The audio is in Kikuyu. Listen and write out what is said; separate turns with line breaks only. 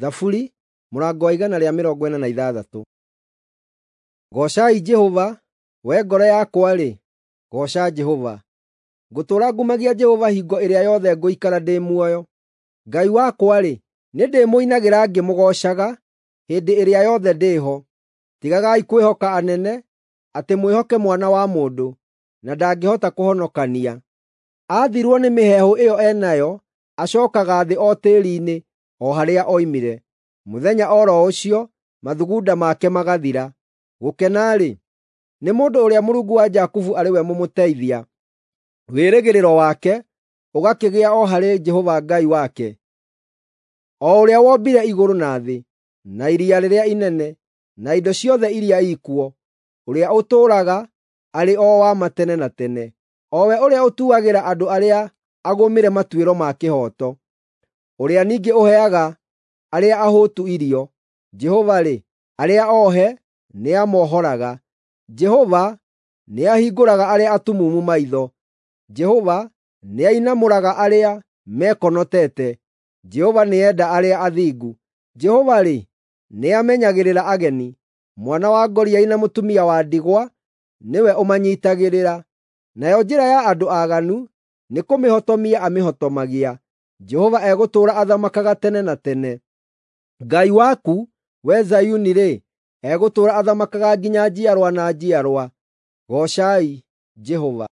Thaburi mũrango wa 146. Goocai Jehova. Wee ngoro yakwa-rĩ, gooca Jehova. Ngũtũũra ngumagia Jehova hingo ĩrĩa yothe ngũikara ndĩ muoyo. Ngai wakwa-rĩ, nĩndĩmũinagĩra ngĩmũgoocaga hĩndĩ ĩrĩa yothe ndĩ ho. Tigagai kwĩhoka anene, atĩ mwĩhoke mwana wa mũndũ, na ndangĩhota kũhonokania. Aathirwo nĩ mĩheehũ ĩyo e nayo, acookaga thĩ o tĩĩri-inĩ, o harĩa oimire. Mũthenya o ro ũcio mathugunda make magathira. Gũkena-rĩ, nĩ mũndũ ũrĩa Mũrungu wa Jakubu arĩ we mũmũteithia, wĩrĩgĩrĩro wake ũgakĩgĩa o harĩ Jehova Ngai wake, o ũrĩa wombire igũrũ na thĩ, na iria rĩrĩa inene, na indo ciothe iria ikuo, ũrĩa ũtũũraga arĩ o wa ma tene na tene, o we ũrĩa ũtuagĩra andũ arĩa agũmĩre matuĩro ma kĩhooto, ũrĩa ningĩ ũheaga arĩa ahũtu irio. Jehova-rĩ, arĩa ohe nĩamohoraga. Jehova nĩahingũraga arĩa atumumu maitho. Jehova nĩainamũraga arĩa mekonotete. Jehova nĩenda arĩa athingu. Jehova-rĩ, nĩamenyagĩrĩra ageni. Mwana wa ngoriai na mũtumia wa ndigwa nĩwe ũmanyiitagĩrĩra. Nayo njĩra ya andũ aaganu nĩkũmĩhotomia amĩhotomagia. Jehova egũtũũra athamakaga tene na tene. Ngai waku, wee Zayuni-rĩ, egũtũũra athamakaga nginya njiarwa na njiarwa. Goocai Jehova.